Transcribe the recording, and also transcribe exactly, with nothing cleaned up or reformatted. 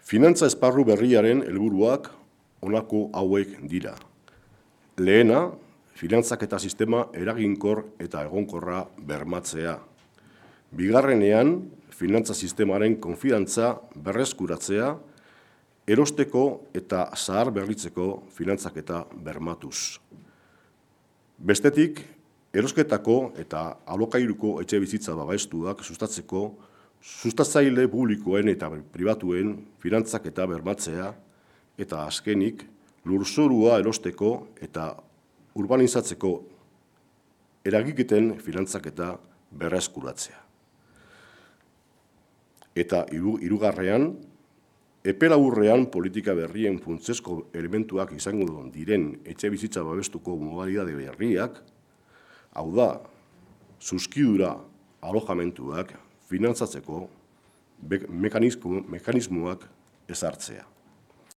Finantza esparru berriaren helburuak honako hauek dira. Lehena, finantzaketa sistema eraginkor eta egonkorra bermatzea. Bigarrenean, finantza sistemaren konfidantza berreskuratzea, erosteko eta zahar berritzeko finantzaketa bermatuz. Bestetik, erosketako eta alokairuko etxe bizitza babestuak sustatzeko sustatzaile publikoen eta pribatuen finantzaketa bermatzea eta azkenik lurzorua erosteko eta urbanizatzeko eragiketen finantzaketa berreskuratzea. Eta hirugarrean, epe laburrean politika berrien funtsezko elementuak izango diren etxe bizitza babestuko modalitate berriak, hau da, zuzkidura alojamentuak finantzatzeko mekanismoak ezartzea.